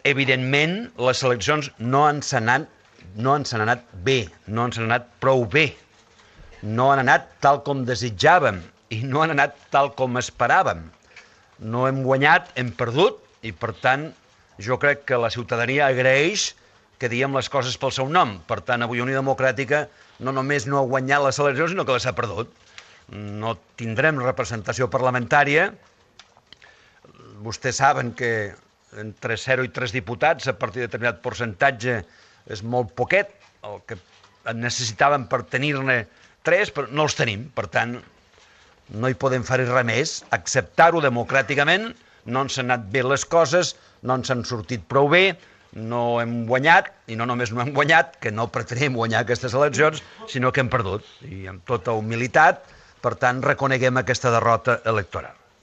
Evidentment, les eleccions no ens han anat bé, no ens han anat prou bé. No han anat tal com desitjàvem i no han anat tal com esperàvem. No hem guanyat, hem perdut, i per tant jo crec que la ciutadania agraeix que diguem les coses pel seu nom. Per tant, avui Unió Democràtica no només no ha guanyat les eleccions, sinó que les ha perdut. No tindrem representació parlamentària. Vostès saben que entre 0 i 3 diputats, a partir de determinat percentatge, és molt poquet, el que necessitàvem per tenir-ne 3, però no els tenim. Per tant, no hi podem fer res més, acceptar-ho democràticament. No ens han anat bé les coses, no ens han sortit prou bé, no hem guanyat, i no només no hem guanyat, que no pretenem guanyar aquestes eleccions, sinó que hem perdut. I amb tota humilitat, per tant, reconeguem aquesta derrota electoral.